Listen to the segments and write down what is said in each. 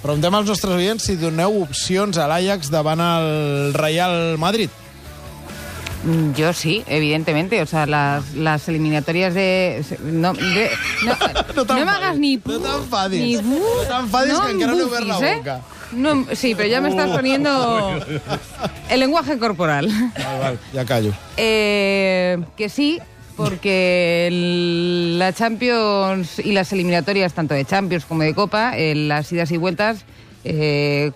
Preguntem als nostres oients si doneu opcions a l'Ajax davant el Real Madrid. Yo sí, evidentemente. O sea, las eliminatorias de... No me hagas ni... No t'enfadis. No t'enfadis, que encara no he obert la boca. No, sí, pero ya me estás poniendo el lenguaje corporal. Vale, ya callo. Que sí, porque la Champions y las eliminatorias, tanto de Champions como de Copa, las idas y vueltas,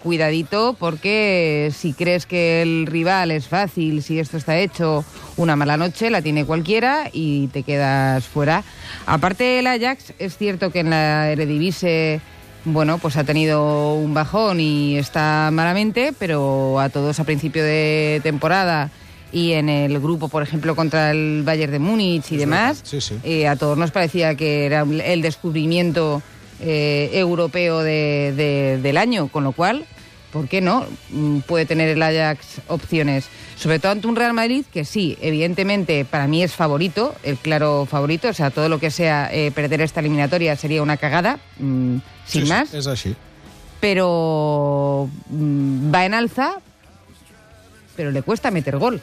cuidadito, porque si crees que el rival es fácil, si esto está hecho, una mala noche la tiene cualquiera y te quedas fuera. Aparte, el Ajax, es cierto que en la Eredivisie, bueno, pues ha tenido un bajón y está malamente, pero a todos a principio de temporada y en el grupo, por ejemplo, contra el Bayern de Múnich y demás, sí. A todos nos parecía que era el descubrimiento europeo del año, con lo cual, ¿por qué no? Puede tener el Ajax opciones, sobre todo ante un Real Madrid que sí, evidentemente para mí es favorito, el claro favorito, o sea, todo lo que sea perder esta eliminatoria sería una cagada, sin más. És així. Pero va en alza, pero le cuesta meter gol.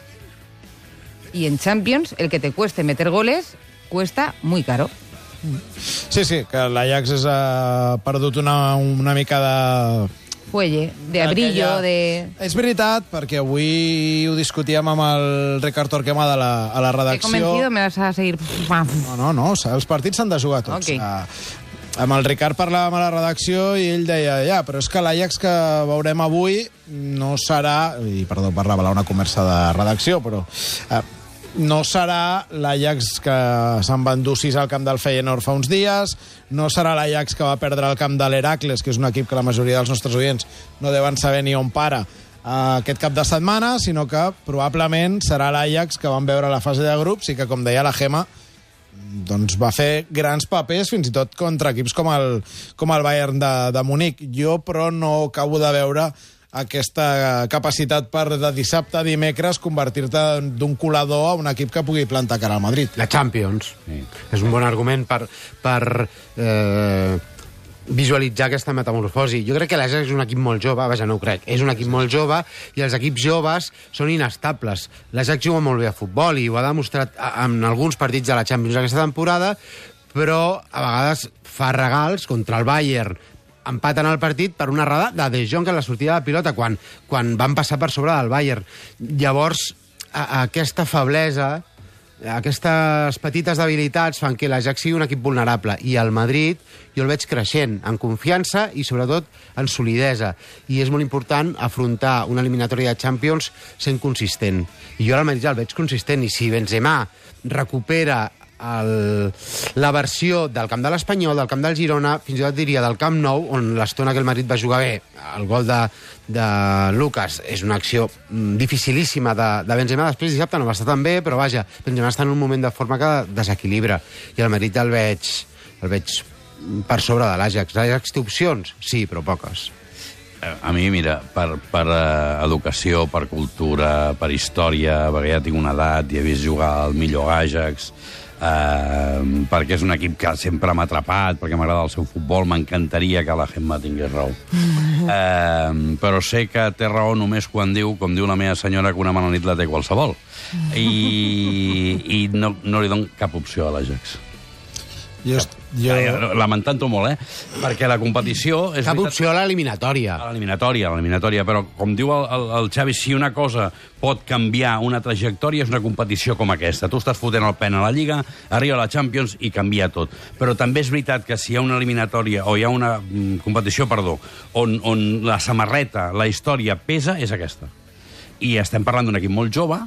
Y en Champions, el que te cueste meter goles cuesta muy caro. Sí, que l'Ajax ha perdut una mica de... Fuelle, de brillo, de... És veritat, perquè avui ho discutíem amb el Ricard Torquemada a la redacció. He convencido, me vas a seguir... No, els partits s'han de jugar tots. Okay. Amb el Ricard parlàvem a la redacció i ell deia, però és que l'Ajax que veurem avui no serà... I perdó per revelar una conversa de redacció, però... no serà l'Ajax que se'n va endur 6 al camp del Feyenoord fa uns dies, no serà l'Ajax que va perdre el camp de l'Heracles, que és un equip que la majoria dels nostres oients no deuen saber ni on para aquest cap de setmana, sinó que probablement serà l'Ajax que vam veure a la fase de grups i que, com deia la Gemma, doncs va fer grans papers fins i tot contra equips com el Bayern de Munic. Jo, però, no acabo de veure aquesta capacitat per de dissabte a dimecres convertir-te d'un colador a un equip que pugui plantar cara al Madrid. La Champions. Sí. És un bon argument per visualitzar aquesta metamorfosi. Jo crec que l'Ajax és un equip molt jove, vaja, no ho crec, és un equip molt jove i els equips joves són inestables. L'Ajax juga molt bé a futbol i ho ha demostrat en alguns partits de la Champions aquesta temporada, però a vegades fa regals contra el Bayern, empaten el partit per una errada de De Jong en la sortida de pilota quan van passar per sobre del Bayern. Llavors, aquesta feblesa, aquestes petites debilitats fan que l'Ajax sigui un equip vulnerable i el Madrid jo el veig creixent en confiança i sobretot en solidesa, i és molt important afrontar una eliminatòria de Champions sent consistent, i jo al Madrid el veig consistent, i si Benzema recupera la versió del camp de l'Espanyol, del camp del Girona, fins i tot diria del Camp Nou, on l'estona que el Madrid va jugar bé, el gol de Lucas és una acció dificilíssima de Benzema. Després dissabte no va estar tan bé, però vaja, Benzema està en un moment de forma que desequilibra, i el Madrid el veig per sobre de l'Ajax. L'Ajax té opcions? Sí, però poques. A mi, mira, per educació, per cultura, per història, perquè ja tinc una edat i he vist jugar al millor Ajax, perquè és un equip que sempre m'ha atrapat, perquè m'agrada el seu futbol, m'encantaria que la Gemma tingués raó. Però sé que té raó només quan diu, com diu la meva senyora, que una mala nit la té qualsevol. I no li dono cap opció a l'Ajax. Lamentant-ho molt, perquè la competició... Cap opció a l'eliminatòria. A l'eliminatòria, però com diu el Xavi, si una cosa pot canviar una trajectòria és una competició com aquesta. Tu estàs fotent el pen a la Lliga, arriba a la Champions i canvia tot. Però també és veritat que si hi ha una eliminatòria o hi ha una competició, on la samarreta, la història pesa, és aquesta. I estem parlant d'un equip molt jove,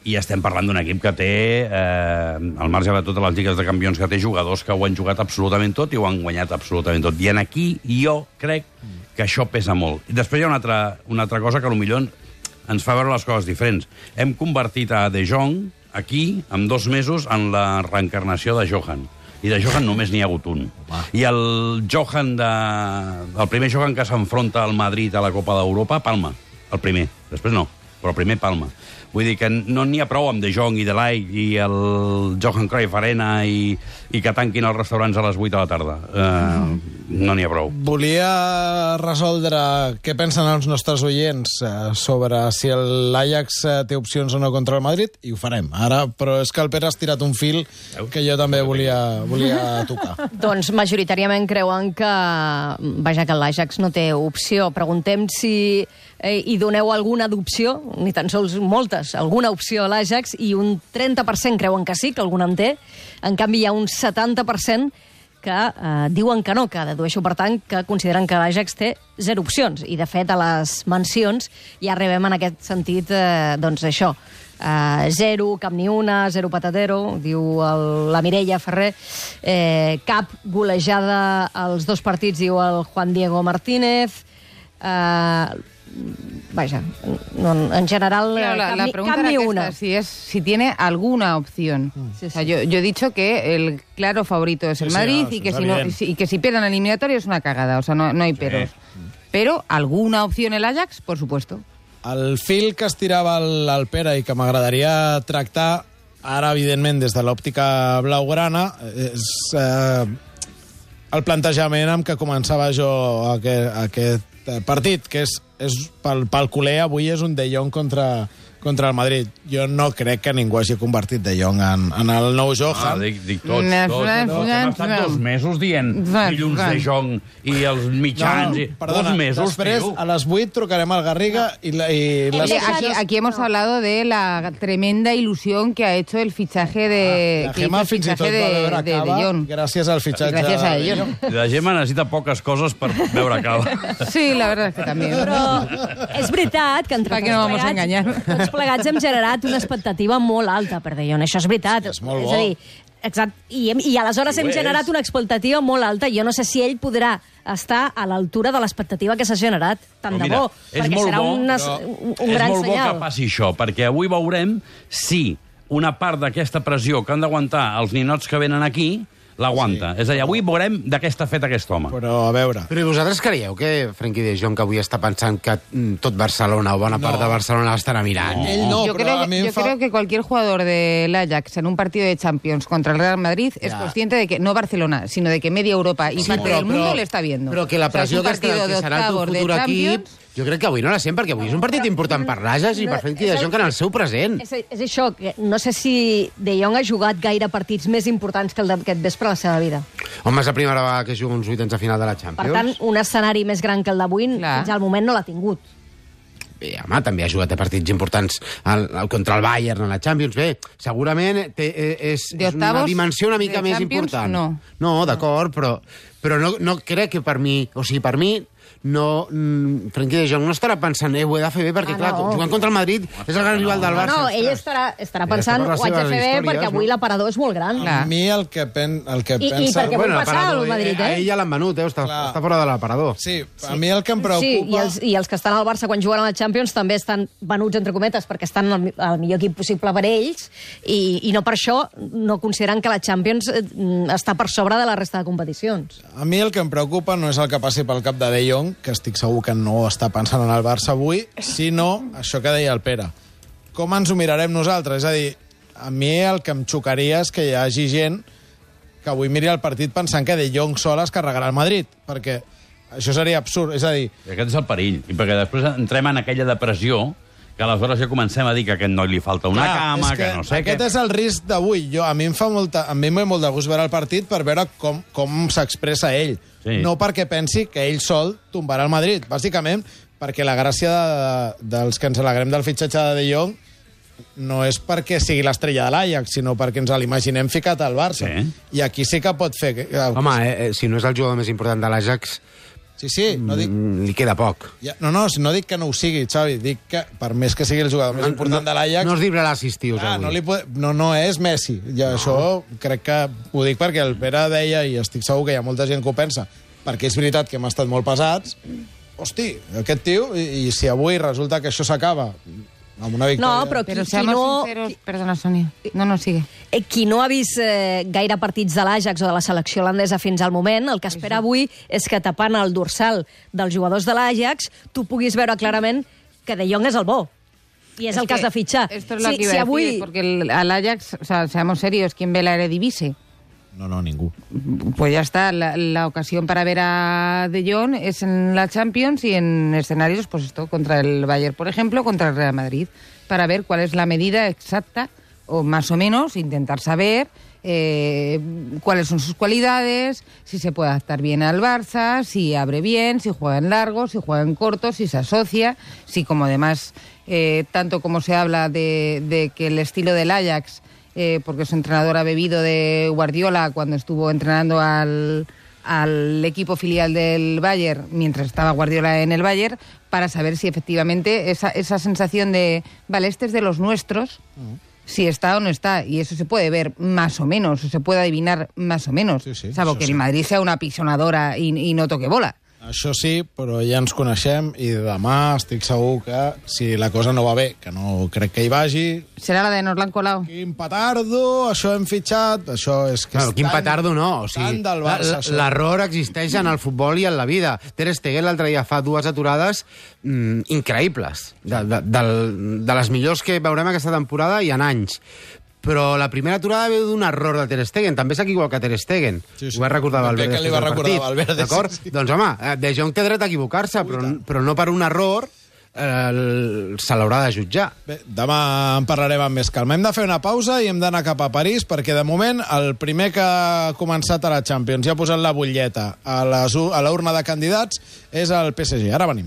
i estem parlant d'un equip que té, al marge de totes les lligues de campions, que té jugadors que ho han jugat absolutament tot i ho han guanyat absolutament tot. I aquí jo crec que això pesa molt. I després hi ha una altra cosa que potser ens fa veure les coses diferents. Hem convertit a De Jong aquí, en 2 mesos, en la reencarnació de Johan. I de Johan només n'hi ha hagut un. I el primer Johan que s'enfronta al Madrid a la Copa d'Europa, palma. El primer. Després no, però el primer palma. Vull dir que no n'hi ha prou amb De Jong i De Ligt i el Johan Cruyff Arena i que tanquin els restaurants a les 8 de la tarda. no n'hi ha prou. Volia resoldre què pensen els nostres oients sobre si l'Ajax té opcions o no contra el Madrid, i ho farem ara, però és que el Pere has tirat un fil que jo també volia tocar. Doncs majoritàriament creuen que que l'Ajax no té opció. Preguntem si hi doneu alguna d'opció, ni tan sols moltes, alguna opció a l'Ajax, i un 30% creuen que sí, que alguna en té. En canvi, hi ha un 70% que diuen que no, que dedueixo, per tant, que consideren que l'Ajax té 0 opcions. I, de fet, a les mencions ja arribem en aquest sentit, doncs això, 0, cap ni una, 0 patatero, diu la Mireia Ferrer, cap golejada als 2 partits, diu el Juan Diego Martínez, vaja, no, en general, claro, la pregunta cap ni era una. si tiene alguna opción. Sí, o sea, yo he dicho que el claro favorito es el Madrid, y que si pierden el eliminatorio es una cagada, o sea, no hay peros. Pero alguna opción el Ajax, por supuesto. El fil que estirava el Pere i que m'agradaria tractar ara, evidentment, des de l'òptica blaugrana, és el plantejament amb què començava jo aquest partit, que és pel culer avui és un De Jong contra el Madrid. Jo no crec que ningú hagi convertit De Jong en el nou Johan. Dic tots. Hem estat 2 mesos dient dilluns De Jong i els mitjans. Perdona, 2 mesos, després, a les 8 trucarem al Garriga i les Aquí hemos hablado de la tremenda ilusión que ha hecho el fichaje de la Gemma fins i tot va veure de Jong. gràcies al fitxatge Gràcies a ellos. La Gemma necessita poques coses per veure cava. Sí, la verdad es que también. Però és veritat que entre ¿Para qué nos vamos a engañar? tots plegats hem generat una expectativa molt alta per De Jong. Això és veritat. És molt bo. És a dir, exacte. I aleshores hem generat una expectativa molt alta. Jo no sé si ell podrà estar a l'altura de l'expectativa que s'ha generat. Tant de bo, perquè serà un gran senyal. És molt bo que passi això, perquè avui veurem si una part d'aquesta pressió que han d'aguantar els ninots que venen aquí l'aguanta. És a dir, avui veurem de què està fet aquest home. Però, a veure... Però i vosaltres creieu que Frenkie de Jong, que avui està pensant que tot Barcelona o bona part de Barcelona l'estarà mirant? Ell no, yo però a mi yo creo que cualquier jugador del Ajax en un partido de Champions contra el Real Madrid es consciente de que no Barcelona, sino de que media Europa y parte del mundo le está viendo. Però que la pressió o sea, es un partido que de serà el teu octavos de futur equip, Champions. jo crec que avui no la sent, perquè avui és un partit important per l'Ajax i per Frenkie de Jong en el seu present. És això, que no sé si De Jong ha jugat gaire partits més importants que el d'aquest vespre a la seva vida. Home, és la primera vegada que juga uns vuitens de final de la Champions. Per tant, un escenari més gran que el d'avui fins al moment no l'ha tingut. Bé, home, també ha jugat a partits importants contra el Bayern en la Champions. Bé, segurament és una dimensió una mica més important. No, d'acord, però no crec que per mi... O sigui, per mi... no, Frenkie de Jong no estarà pensant ho he de fer bé perquè, clar, jugant contra el Madrid és el gran rival del Barça. No, ell estarà pensant ho haig de fer bé perquè avui l'aparador és molt gran. A mi el que pensa... I perquè vull passar al Madrid, A ell ja l'han venut, està fora de l'aparador. Sí, a mi el que em preocupa... Sí, i els que estan al Barça quan juguen a la Champions també estan venuts, entre cometes, perquè estan al millor equip possible per ells i no per això no consideren que la Champions està per sobre de la resta de competicions. A mi el que em preocupa no és el que passi pel cap de De Jong, que estic segur que no està pensant en el Barça avui, sinó això que deia el Pere. Com ens ho mirarem nosaltres? És a dir, a mi el que em xocaria és que hi hagi gent que avui miri el partit pensant que De Jong sol es carregarà el Madrid, perquè això seria absurd. És a dir... I aquest és el perill, i perquè després entrem en aquella depressió que aleshores ja comencem a dir que a aquest noi li falta una cama, que no sé què... Aquest és el risc d'avui. A mi em fa molt de gust veure el partit per veure com s'expressa ell. Sí. No perquè pensi que ell sol tombarà el Madrid, bàsicament perquè la gràcia dels que ens alegrem del fitxatge de De Jong no és perquè sigui l'estrella de l'Ajax, sinó perquè ens l'imaginem ficat al Barça. Sí. I aquí sí que pot fer... Home, si no és el jugador més important de l'Ajax... Sí, no dic... Li queda poc. No dic que no ho sigui, Xavi. Dic que, per més que sigui el jugador més important de l'Ajax... No es llibrarà assistius, avui. No és Messi. Això crec que ho dic perquè el Pere deia, i estic segur que hi ha molta gent que ho pensa, perquè és veritat que hem estat molt pesats. Hosti, aquest tio, i si avui resulta que això s'acaba amb una victòria... No, però seamos sinceros... Perdona, Sonia. No, sigue. Qui no ha vist gaire partits de l'Ajax o de la selecció holandesa fins al moment, el que espera avui és que tapant el dorsal dels jugadors de l'Ajax tu puguis veure clarament que De Jong és el bo. Y es el que has de fichar. Esto es lo que iba a decir, porque al Ajax, o sea, seamos serios, ¿quién ve la Eredivisie? No, ningú. Pues ya está, la ocasión para ver a De Jong es en la Champions y en escenarios, pues esto, contra el Bayern, por ejemplo, contra el Real Madrid, para ver cuál es la medida exacta, o más o menos, intentar saber cuáles son sus cualidades, si se puede adaptar bien al Barça, si abre bien, si juega en largo, si juega en corto, si se asocia, si como además, tanto como se habla de que el estilo del Ajax, porque su entrenador ha bebido de Guardiola cuando estuvo entrenando al equipo filial del Bayern, mientras estaba Guardiola en el Bayern, para saber si efectivamente esa sensación de, vale, este es de los nuestros, si está o no está, y eso se puede ver más o menos, o se puede adivinar más o menos, salvo que el Madrid sea una pisonadora i no toque bola. Això sí, però ja ens coneixem i demà estic segur que si la cosa no va bé, que no crec que hi vagi... Serà la de nos l'han colado. Quin petardo, això hem fitxat, això és que... Claro, quin petardo no, o sigui, del Barça, l'error existeix en el futbol i en la vida. Ter Stegen l'altre dia fa 2 aturades increïbles, de les millors que veurem aquesta temporada i en anys. Però la primera aturada veu d'un error de Ter Stegen. També s'equivoca Ter Stegen. Sí. Ho va recordar Valverde. Que li va recordar Valverde. D'acord? Sí. Doncs, home, De Jong té dret a equivocar-se, però no per un error se l'haurà de jutjar. Bé, demà en parlarem amb més calma. Hem de fer una pausa i hem d'anar cap a París, perquè de moment el primer que ha començat a la Champions i ha posat la butlleta a la urna de candidats és el PSG. Ara venim.